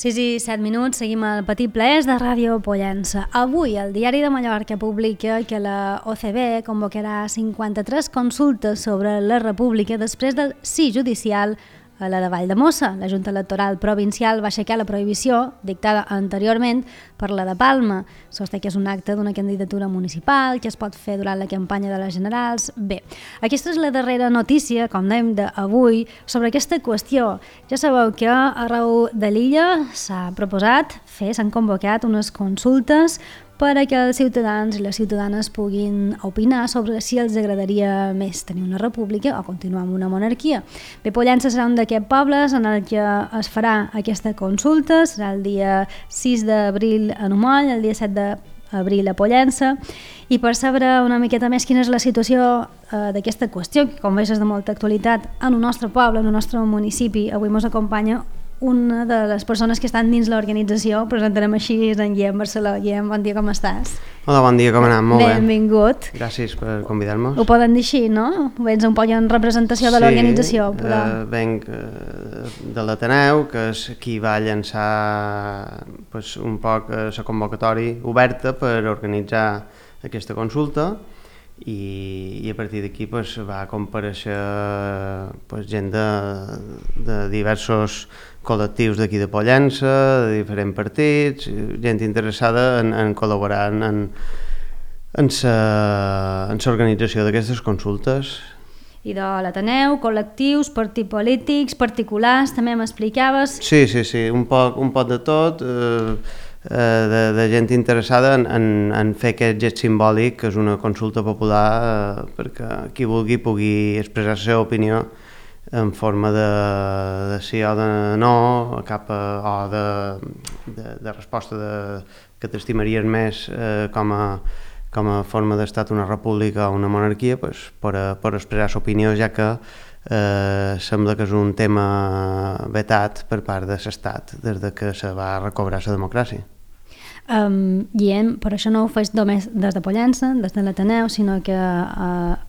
6 i 7 minuts, seguim al Petit Plaers de Ràdio Pollença. Avui el Diari de Mallorca publica que la OCB convocarà 53 consultes sobre la República després del sí judicial a la de Valldemossa. La Junta Electoral Provincial va aixecar la prohibició dictada anteriorment per la de Palma. Sosté que és un acte d'una candidatura municipal que es pot fer durant la campanya de les generals. Bé, aquesta és la darrera notícia, com dèiem, d'avui sobre aquesta qüestió. Ja sabeu que arreu de l'illa s'ha proposat s'han convocat unes consultes per a que els ciutadans i les ciutadanes puguin opinar sobre si els agradaria més tenir una república o continuar amb una monarquia. Bé, Pollença serà un d'aquests pobles en el que es farà aquesta consulta, serà el dia 6 d'abril a Numoll, el dia 7 d'abril a Pollença, i per saber una miqueta més quina és la situació d'aquesta qüestió, que com veus és de molta actualitat en el nostre poble, en el nostre municipi, avui ens acompanya una de les persones que estan dins l'organització. Presentarem així en Guillem Barceló. Guillem, bon dia, com estàs? Hola, bon dia, com anem? Molt bé. Benvingut. Gràcies per convidar-nos. Ho poden dir així, no? Vens un poc en representació de l'organització. Sí, venc de l'Ateneu, que és qui va llançar un poc la convocatòria oberta per organitzar aquesta consulta, i a partir d'aquí va comparèixer gent de diversos col·lectius d'aquí de Pollença, de diferents partits, gent interessada en col·laborar en l'organització d'aquestes consultes. I de l'Ateneu, col·lectius, partits polítics, particulars, també m'explicaves? Sí, un poc de tot, de gent interessada en fer aquest gest simbòlic, que és una consulta popular, perquè qui vulgui pugui expressar la seva opinió en forma de sí o de no, o de resposta que t'estimaries més com a forma d'estat una república o una monarquia, per expressar l'opinió, ja que sembla que és un tema vetat per part de l'estat des que se va recobrar la democràcia. Guillem, per això no ho fes només des de Pollença, des de l'Ateneu, sinó que,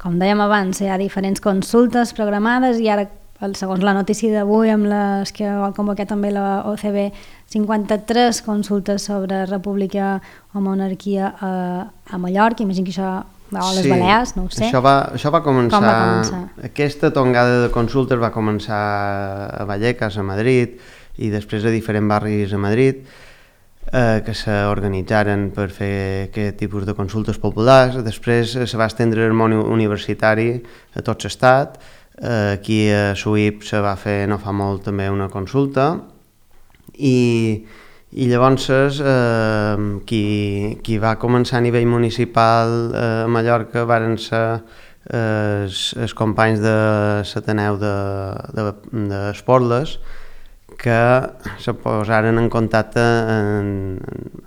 com dèiem abans, hi ha diferents consultes programades i ara, segons la notícia d'avui, amb les que ha convocat també la OCB, 53 consultes sobre república o monarquia a Mallorca. Imagino que això va a les Balears, no ho sé. Això va començar... Com va començar? Aquesta tongada de consultes va començar a Vallecas, a Madrid, i després a diferents barris a Madrid, que s'organitzaren per fer aquest tipus de consultes populars. Després se va estendre el món universitari a tot l'estat. Aquí a Suïp se va fer no fa molt també una consulta, i llavors qui va començar a nivell municipal a Mallorca varen ser els companys de l'Ateneu d'Esporles, que se posaren en contacte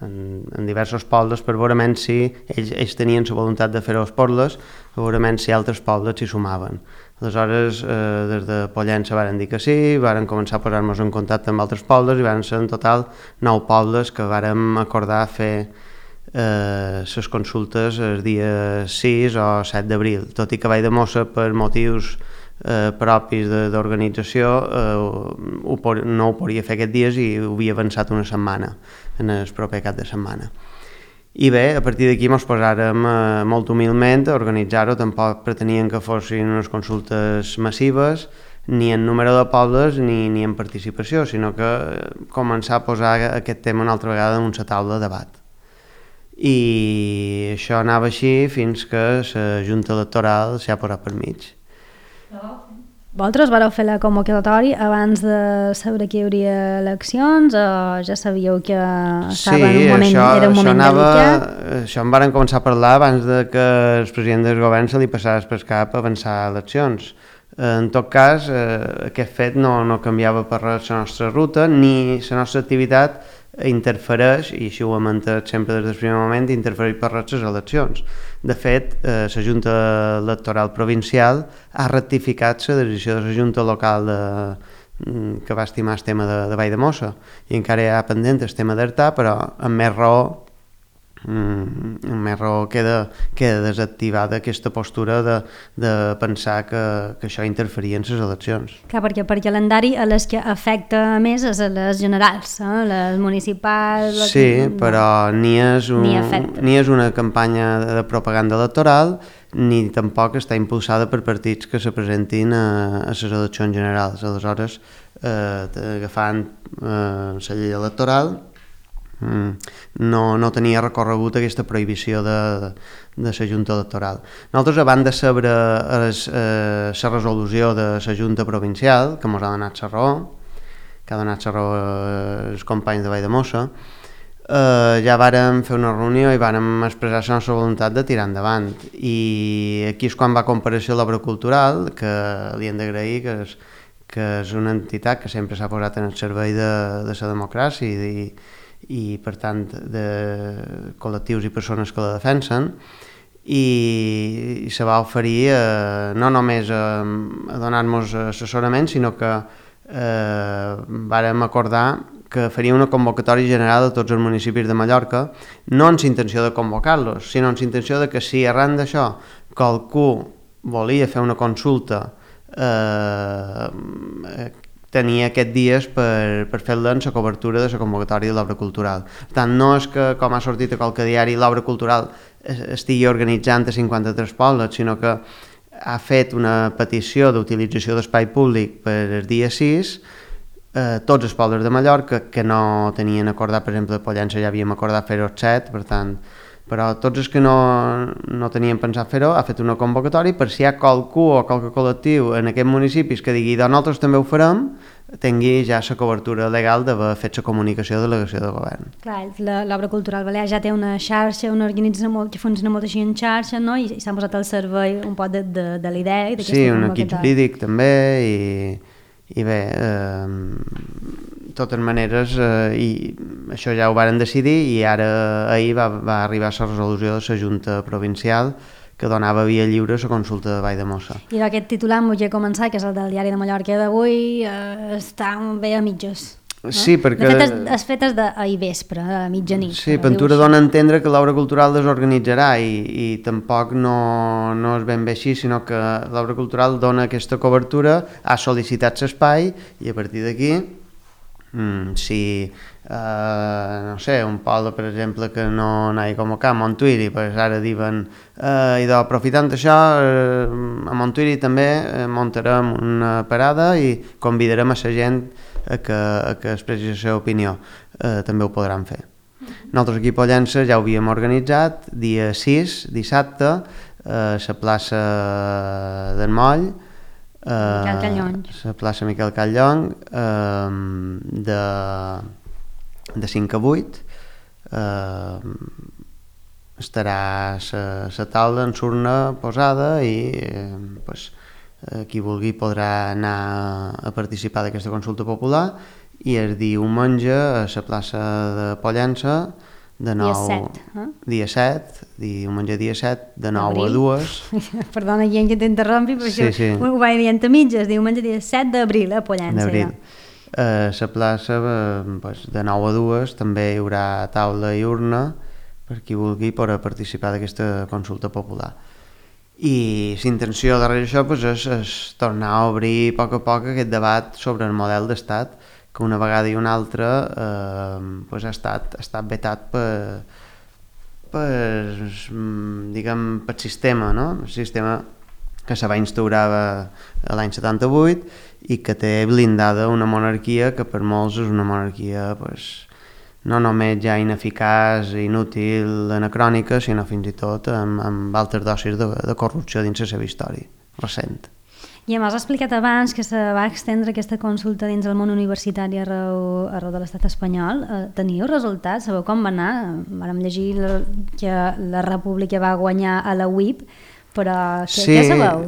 en diversos pobles per veure si ells tenien la voluntat de fer-ho a Esporles, per veure si altres pobles s'hi sumaven. Aleshores, des de Pollença varen dir que sí, varen començar a posar-nos en contacte amb altres pobles i varen ser en total 9 pobles que vàrem acordar fer les consultes el dia 6 o 7 d'abril, tot i que Valldemossa, per motius propis d'organització, no ho podia fer aquests dies i ho havia avançat una setmana, en el proper cap de setmana. I bé, a partir d'aquí ens posàrem molt humilment a organitzar-ho. Tampoc pretenien que fossin unes consultes massives, ni en número de pobles ni en participació, sinó que començar a posar aquest tema una altra vegada en una taula de debat. I això anava així fins que la Junta Electoral s'ha posat per mig. Vosaltres vareu fer la convocatòria abans de saber que hi hauria eleccions, o ja sabíeu que estava en un moment, era un moment delicat? Això en varen començar a parlar abans de que el president del govern se li passés per cap a avançar eleccions. En tot cas, aquest fet no canviava per res la nostra ruta, ni la nostra activitat interfereix, i així ho hem entès sempre des del primer moment, interfereix per res les eleccions. De fet, la Junta Electoral Provincial ha ratificat la decisió de la Junta Local que va estimar el tema de Valldemossa, i encara hi ha pendent el tema d'Artà, però amb més raó més raó queda desactivada aquesta postura de pensar que això interferia en les eleccions. Clar, perquè per calendari a les que afecta més és a les generals, les municipals... Sí, però ni és una campanya de propaganda electoral ni tampoc està impulsada per partits que se presentin a les eleccions generals. Aleshores, agafant la llei electoral, no tenia recorregut aquesta prohibició de la Junta Electoral. Nosaltres, abans de saber la resolució de la Junta Provincial, que ens ha donat la raó, que ha donat la raó els companys de Valldemossa, ja vàrem fer una reunió i vàrem expressar la nostra voluntat de tirar endavant. I aquí és quan va comparèixer l'Obra Cultural, que li hem d'agrair, que és una entitat que sempre s'ha posat en el servei de la democràcia i per tant de col·lectius i persones que la defensen, i se va oferir no només a donar-nos assessorament, sinó que vàrem acordar que faria una convocatòria general de tots els municipis de Mallorca, no amb intenció de convocar-los, sinó amb intenció de que si arran d'això qualcú volia fer una consulta tenia aquests dies per fer-la en la cobertura de la convocatòria de l'obra cultural. Per tant, no és que, com ha sortit a qualque diari, l'obra cultural estigui organitzant a 53 pobles, sinó que ha fet una petició d'utilització d'espai públic per el dia 6, tots els pobles de Mallorca que no tenien acordat, per exemple, a Pollença ja havíem acordat fer-ho 7, per tant, però tots els que no tenien pensat fer-ho, ha fet una convocatòria per si hi ha qualcú o qualque col·lectiu en aquests municipis que digui nosaltres també ho farem, tingui ja la cobertura legal d'haver fet la comunicació de delegació de govern. Clar, l'Obra Cultural Balear ja té una xarxa, una organització que funciona molt així en xarxa, no? I s'han posat al servei un poc de la idea. Sí, un equip jurídic també, i bé, de totes maneres, i això ja ho varen decidir, i ara ahir va arribar la resolució de la Junta Provincial que donava via lliure a la consulta de Valldemossa. I aquest titular em volia començar, que és el del Diari de Mallorca d'avui, està bé a mitges. No? Sí, perquè... De fet, és fet d'ahir vespre, a mitjanit. Sí, Ventura dona a entendre que l'obra cultural desorganitzarà i tampoc no és ben bé així, sinó que l'obra cultural dona aquesta cobertura, ha sol·licitat l'espai i a partir d'aquí, si, no sé, un poble, per exemple, que no anava convocat a Montuïri, pues ara diuen, aprofitant això, a Montuïri també muntarem una parada i convidarem a la gent a que expressi la seva opinió, també ho podran fer. Nosaltres aquí a Pollença ja ho havíem organitzat, dia 6, dissabte, a la plaça d'en Moll, la plaça Miquel Catllong, de 5 a 8, estarà la taula en surna posada i qui vulgui podrà anar a participar d'aquesta consulta popular, i el diumenge a la plaça de Pollença de 9, dia 7, diumenge dia 7, de 9 a 2. Perdona, gent, que t'interrompi, però sí. Ho vaig dient a mitges, diumenge dia 7 d'abril a Pollença. A la plaça, de 9 a 2, també hi haurà taula i urna per qui vulgui participar d'aquesta consulta popular. I l'intenció darrere això és tornar a obrir a poc aquest debat sobre el model d'estat, que una vegada i una altra ha estat vetat per sistema, no? El sistema que se va instaurar l'any 78 i que té blindada una monarquia que per molts és una monarquia no només ja ineficaç, inútil, anacrònica, sinó fins i tot amb altres dosis de corrupció dins la seva història recent. I m'has explicat abans que se va extendre aquesta consulta dins el món universitari arreu de l'estat espanyol. Teniu resultats? Sabeu com va anar? Vàrem llegir que la República va guanyar a la UIP, però què sabeu?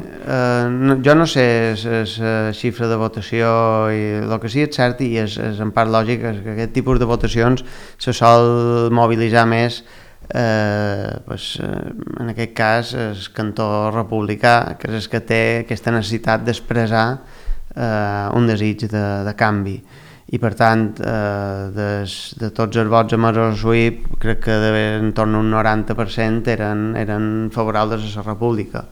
Jo no sé la xifra de votació i el que sí és cert, i és en part lògic, que aquest tipus de votacions se sol mobilitzar més en aquest cas el cantó republicà, que és el que té aquesta necessitat d'expressar un desig de canvi, i per tant de tots els vots emesos a SUIP crec que entorn a un 90% eren favorables a la república.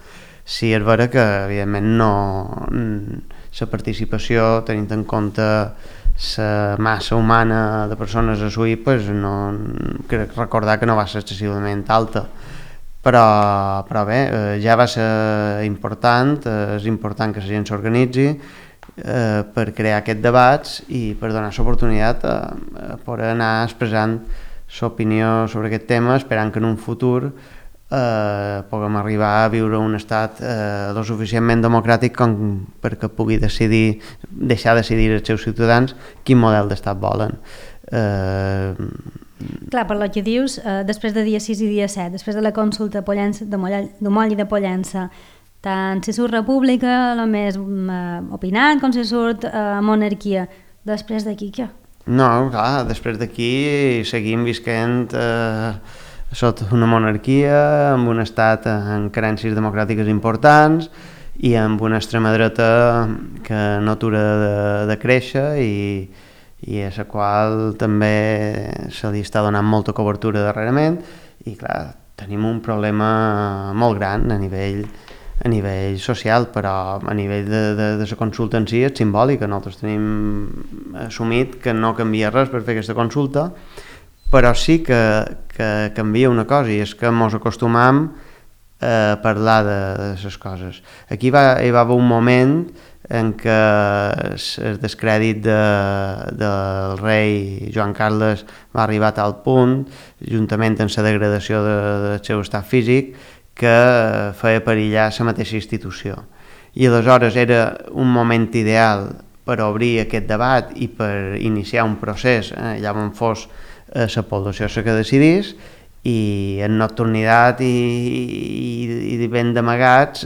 Sí, és vera que evidentment no la participació, tenint en compte la massa humana de persones a SUIP, pues no, crec recordar que no va ser excessivament alta, però bé, ja va ser important, és important que la gent s'organitzi per crear aquests debats i per donar l'oportunitat a poder anar expressant l'opinió sobre aquest tema, esperant que en un futur puguem arribar a viure un estat lo suficientment democràtic com perquè pugui deixar decidir els seus ciutadans quin model d'estat volen. Clar, per lo que dius, després de dia 6 i dia 7, després de la consulta de Moll i de Pollença, tant si surt república, el més opinant, com si surt monarquia. Després d'aquí, què? No, clar, després d'aquí seguim visquent sota una monarquia, amb un estat amb carències democràtiques importants i amb una extrema dreta que no atura de créixer i a la qual també se li està donant molta cobertura darrerament i clar, tenim un problema molt gran a nivell social, però a nivell de la consulta en si és simbòlica. Nosaltres tenim assumit que no canvia res per fer aquesta consulta, però sí que canvia una cosa, i és que ens acostumam a parlar de les coses. Aquí hi va haver un moment en què el descrèdit del rei Joan Carles va arribar a tal punt, juntament amb la degradació del seu estat físic, que feia perillar la mateixa institució. I aleshores era un moment ideal per obrir aquest debat i per iniciar un procés, allà on fos la població la que decidís, i en nocturnitat i ben d'amagats,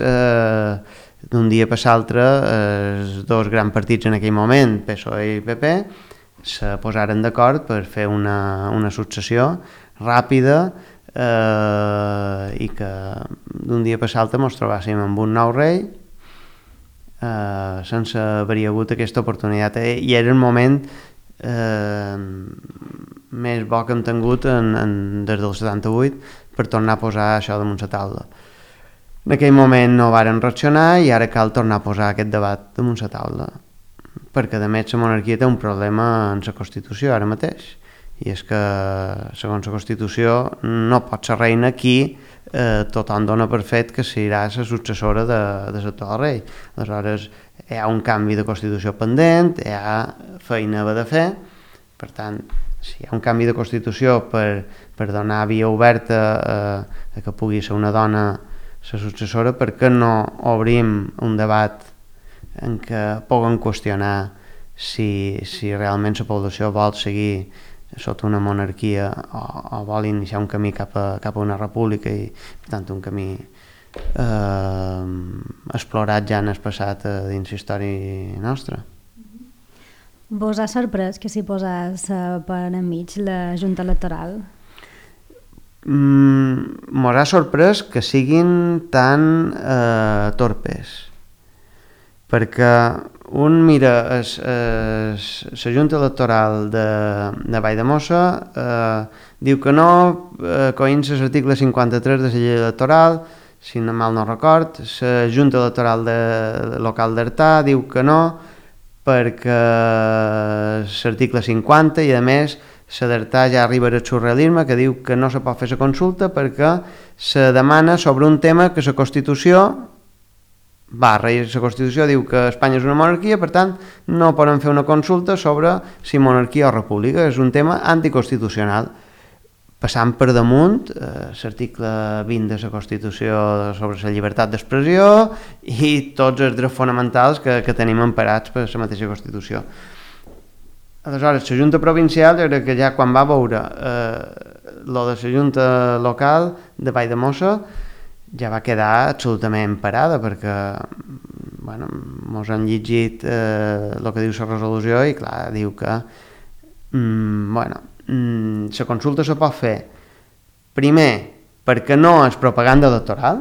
d'un dia per l'altre, els dos grans partits en aquell moment, PSOE i PP, se posaren d'acord per fer una successió ràpida i que d'un dia per l'altre ens trobàssim amb un nou rei sense haver hagut aquesta oportunitat, i era el moment més bo que hem tingut des del 78 per tornar a posar això damunt la taula. En aquell moment no varen reaccionar i ara cal tornar a posar aquest debat damunt la taula, perquè a més la monarquia té un problema en la Constitució ara mateix, i és que segons la Constitució no pot ser reina qui tothom dona per fet que serà la successora de l'actual rei. Aleshores hi ha un canvi de Constitució pendent, hi ha feina a haver de fer, per tant, si hi ha un canvi de Constitució per donar via oberta a que pugui ser una dona la successora, per què no obrim un debat en què puguem qüestionar si realment la població vol seguir sota una monarquia o vol iniciar un camí cap a una república, i per tant un camí explorat ja en el passat dins la història nostra. Vos ha sorprès que s'hi posés per enmig la Junta Electoral? Mos ha sorprès que siguin tan torpes, perquè un mira la Junta Electoral de Valldemossa, diu que no, coinç l'article 53 de la llei electoral, si mal no record. La Junta Electoral local d'Artà diu que no, perquè l'article 50, i a més la d'Artà ja arriba al surrealisme, que diu que no se pot fer la consulta perquè se demana sobre un tema que la Constitució i la Constitució diu que Espanya és una monarquia, per tant no poden fer una consulta sobre si monarquia o república, és un tema anticonstitucional, passant per damunt l'article 20 de la Constitució sobre la llibertat d'expressió i tots els drets fonamentals que tenim emparats per la mateixa Constitució. Aleshores, la Junta Provincial, jo crec que ja quan va veure lo de la Junta Local de Valldemossa, ja va quedar absolutament parada, perquè ens han llegit el que diu la resolució i clar, diu que la consulta se pot fer primer perquè no és propaganda electoral,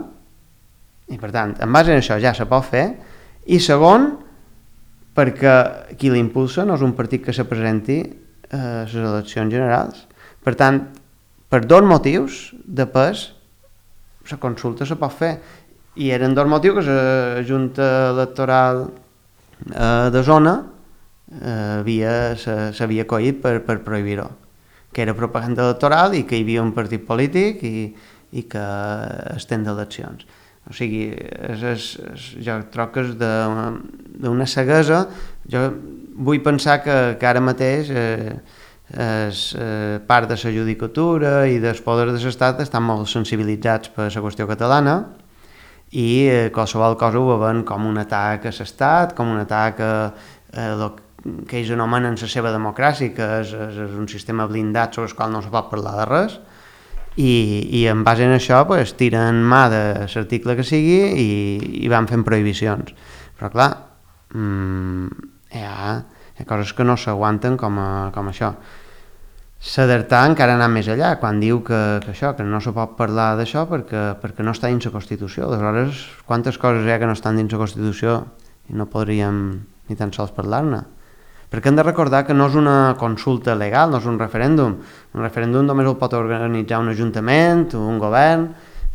i per tant en base a això ja se pot fer, i segon perquè qui l'impulsa no és un partit que se presenti a les eleccions generals. Per tant, per dos motius de pes, la consulta se pot fer. I eren dos motius que la Junta Electoral de zona s'havia acollit per prohibir-ho, que era propaganda electoral i que hi havia un partit polític i que estem d'eleccions. O sigui, jo trobo que és d'una ceguesa. Jo vull pensar que ara mateix part de la judicatura i dels poders de l'Estat estan molt sensibilitzats per la qüestió catalana i qualsevol cosa ho veuen com un atac a l'Estat, com un atac a que ells anomenen la seva democràcia, que és un sistema blindat sobre el qual no se pot parlar de res, i en base a això pues, tiren mà de l'article que sigui i van fent prohibicions. Però clar, hi ha coses que no s'aguanten com això. S'adaptar encara anar més allà, quan diu que no se pot parlar d'això perquè no està dins la Constitució. Aleshores, quantes coses hi ha que no estan dins la Constitució i no podríem ni tan sols parlar-ne? Perquè hem de recordar que no és una consulta legal, no és un referèndum. Un referèndum només el pot organitzar un ajuntament o un govern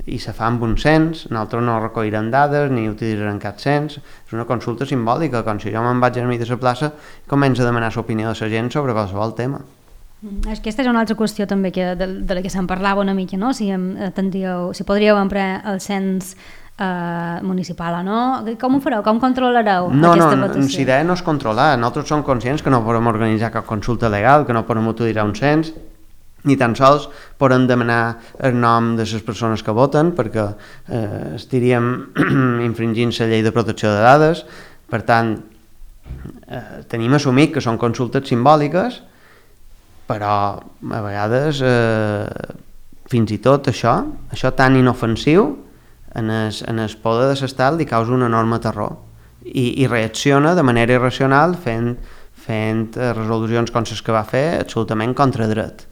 i se fa amb un cens. Nosaltres no recollirem dades ni utilitzarem cap cens. És una consulta simbòlica, com si jo me'n vaig a mi de la plaça i començo a demanar l'opinió de la gent sobre qualsevol tema. Aquesta és una altra qüestió també de la que se'n parlava una mica, no? Si podríeu emprar el cens municipal o no, com ho fareu? Com controlareu aquesta votació? La idea no és controlar. Nosaltres som conscients que no podem organitzar cap consulta legal, que no podem utilitzar un cens, ni tan sols podem demanar el nom de les persones que voten, perquè estaríem infringint la llei de protecció de dades. Per tant, tenim assumit que són consultes simbòliques, però a vegades fins i tot això tan inofensiu en el poder de l'Estat li causa un enorme terror i reacciona de manera irracional fent resolucions com les que va fer absolutament contra dret,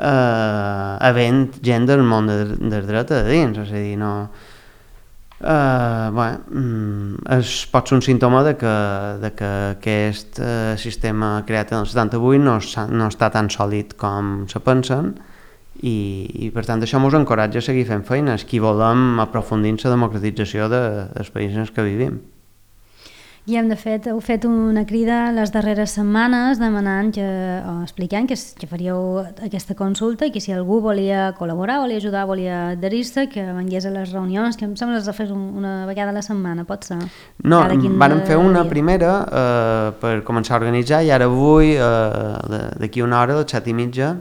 havent gent del món del dret a dins. És a dir, no... pot ser un símptoma de que aquest sistema creat en el 78 no està tan sòlid com se pensen i per tant això ens encoratja a seguir fent feines qui volem aprofundir en la democratització dels països en què vivim. I de fet heu fet una crida les darreres setmanes demanant o explicant que faríeu aquesta consulta i que si algú volia col·laborar, volia ajudar, volia adherir-se, que vengués a les reunions, que em sembla que es fes una vegada a la setmana, pot ser? No, vàrem fer una primera per començar a organitzar i ara avui, d'aquí una hora, a les 7:30,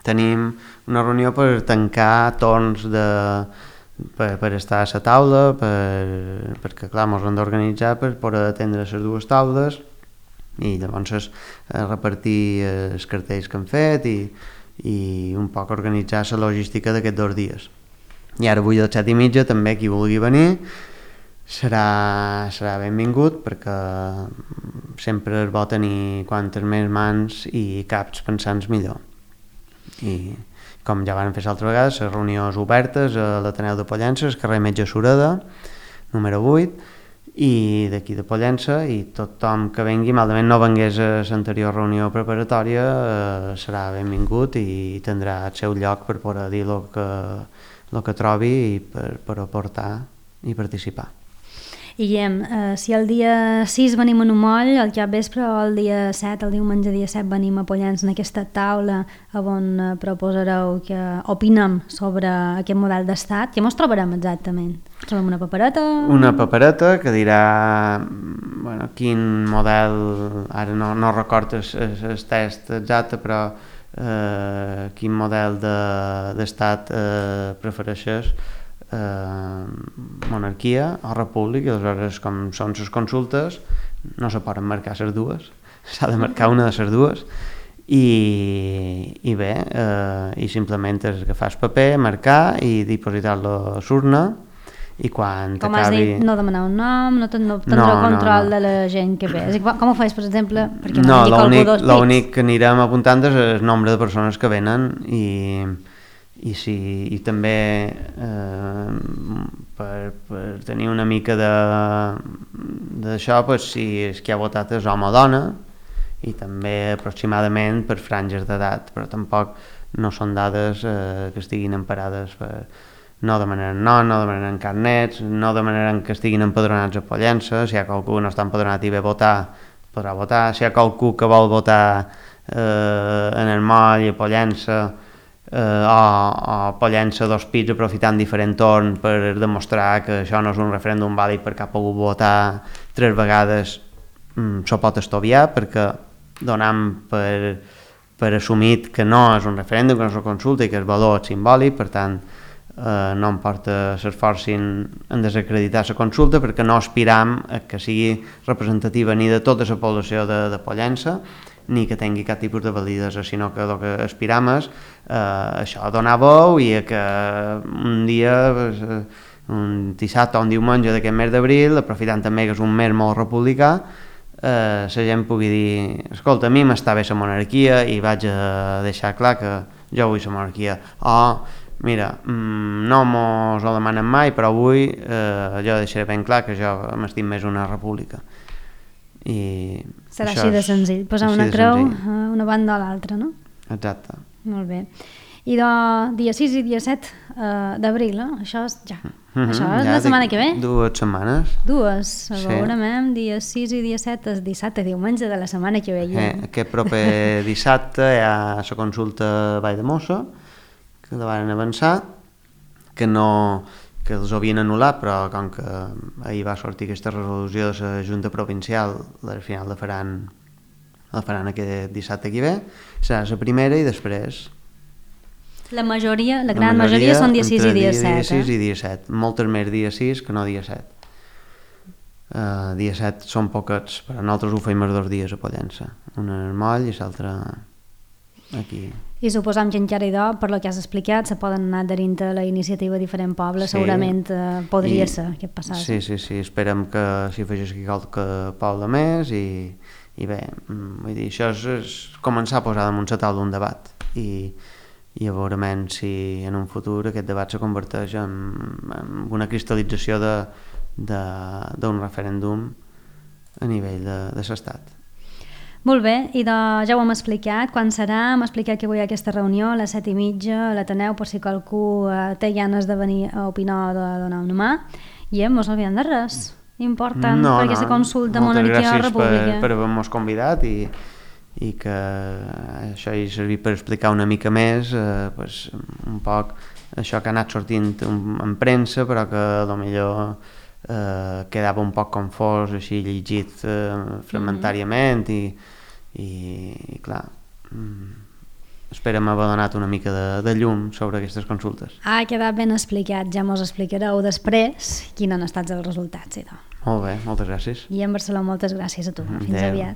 tenim una reunió per tancar torns per estar a la taula, perquè clar, ens hem d'organitzar per poder atendre les dues taules i llavors repartir els cartells que hem fet i un poc organitzar la logística d'aquests 2 dies. I ara avui a les 7:30 també qui vulgui venir serà benvingut, perquè sempre és bo tenir quantes més mans i caps pensants millor. I com ja van fer l'altra vegada, les reunions obertes a l'Ateneu de Pollença, al carrer Metge Sureda, número 8, i d'aquí de Pollença, i tothom que vengui, malament no vengués a l'anterior reunió preparatòria, serà benvingut i tindrà el seu lloc per poder dir el que trobi i per aportar i participar. I Guillem, si el dia 6 venim a Numoll, al capvespre, o el dia 7, el diumenge dia 7, venim a Pollença en aquesta taula on proposareu que opinem sobre aquest model d'estat, què ens trobarem exactament? Trobem una papereta? Una papereta que dirà quin model, ara no recordo el text exacte, però quin model d'estat prefereixes, monarquia o república. Aleshores, com són les consultes, no se poden marcar les dues, s'ha de marcar una de les dues i bé, i simplement és agafar el paper, marcar i dipositar-lo a l'urna i quan com has dit, no demanar un nom, no tindreu control de la gent que ve. Com ho fas, per exemple? No, l'únic que anirem apuntant és el nombre de persones que venen i, i també per tenir una mica d'això, pues, si és qui ha votat és home o dona, i també aproximadament per franges d'edat, però tampoc no són dades que estiguin emparades per... No demanaran nom, no demanaran carnets, no demanaran que estiguin empadronats a Pollença. Si hi ha qualcú que no està empadronat i ve a votar, podrà votar. Si hi ha qualcú que vol votar en el Moll, a Pollença, o Pollença dos pits aprofitant diferent torn per demostrar que això no és un referèndum vàlid perquè ha pogut votar 3 vegades, s'ho pot estoviar, perquè donam per assumit que no és un referèndum, que no és una consulta i que és valor simbòlic, per tant no em porta s'esforcin en desacreditar la consulta, perquè no aspiram a que sigui representativa ni de tota la població de Pollença ni que tingui cap tipus de validesa, sinó que el que aspiram és això, donar veu i a que un dia, un dissabte o un diumenge d'aquest mes d'abril, aprofitant també que és un mes molt republicà, la gent pugui dir, escolta, a mi m'està bé la monarquia i vaig a deixar clar que jo vull la monarquia, o mira, no mos ho demanen mai, però avui jo deixaré ben clar que jo m'estim més una república. I serà així de senzill, posar una creu a una banda o a l'altra, no? Exacte. Molt bé. I dia 6 i dia 7 d'abril, això és ja. Això és la setmana que ve? 2 setmanes. 2, veurem, dia 6 i dia 7 és dissabte, diumenge de la setmana que ve. Aquest proper dissabte hi ha la consulta a Vall de Mossa, que la van avançar, que els havien anul·lat, però com que ahir va sortir aquesta resolució de la Junta Provincial, al final la faran aquest dissabte que ve, serà la primera i després... La gran majoria són dia 6 i dia 7. Dia 6 i dia 7, moltes més dia 6 que no dia 7. Dia 7 són poquets, però nosaltres ho feim els 2 dies a Pollença, un en el Moll i l'altre aquí. I suposam que encara per lo que has explicat se poden anar adherint a la iniciativa Diferent Poble, sí, segurament podria ser aquest passatge. Sí, esperem que s'hi afegeixi qualque poble més i bé, vull dir, això és començar a posar damunt la taula un debat i a veure si en un futur aquest debat se converteix en una cristal·lització d'un referèndum a nivell de l'estat. Molt bé, i ja ho hem explicat, quan serà? Hem explicat que avui hi ha aquesta reunió a les 7:30 a l'Ateneu, per si qualcú té ganes de venir a opinar o de donar una mà, i mos oblidem de res important per aquesta consulta monarquia o república. Moltes gràcies per haver-nos convidat i que això hi servit per explicar una mica més un poc això que ha anat sortint en premsa, però que potser quedava un poc confós així llegit fragmentàriament i clar, esperem haver donat una mica de llum sobre aquestes consultes. Ha quedat ben explicat, ja mos explicareu després quins han estat els resultats. Molt bé, moltes gràcies. I en Barcelona moltes gràcies a tu, fins aviat.